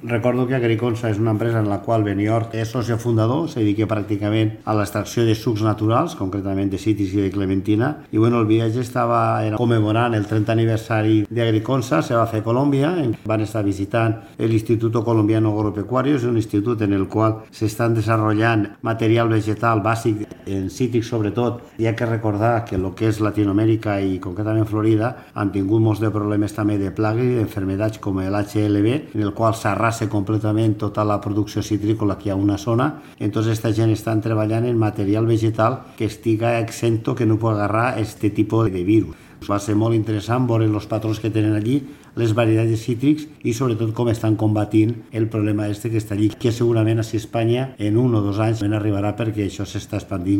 Recordo que Agriconsa és una empresa en la qual Benioff és soci fundador, se dedica pràcticament a l'extracció de sucs naturals, concretament de cítrics i de clementina, i bueno, el viatge era commemorant el 30 aniversari d'Agriconsa, se va fer a Colòmbia, van estar visitant l'Instituto Colombiano Agropecuario, és un institut en el qual s'estan desenvolupant material vegetal bàsic en cítrics sobretot. Hi ha que recordar que el que és Latinoamèrica i concretament Florida han tingut molts de problemes també de plagues i d'enfermedats com l'HLB, en el qual s'arrasa completament tota la producció citrícola que hi ha a una zona. Entonces esta gent estan treballant en material vegetal que estiga exento, que no pugui agarrar este tipus de virus. Va ser molt interessant veure els patrons que tenen allí, les varietats de cítrics i sobretot com estan combatint el problema este que està allí, que segurament a Espanya en 1 o 2 anys arribarà perquè això s'està expandint.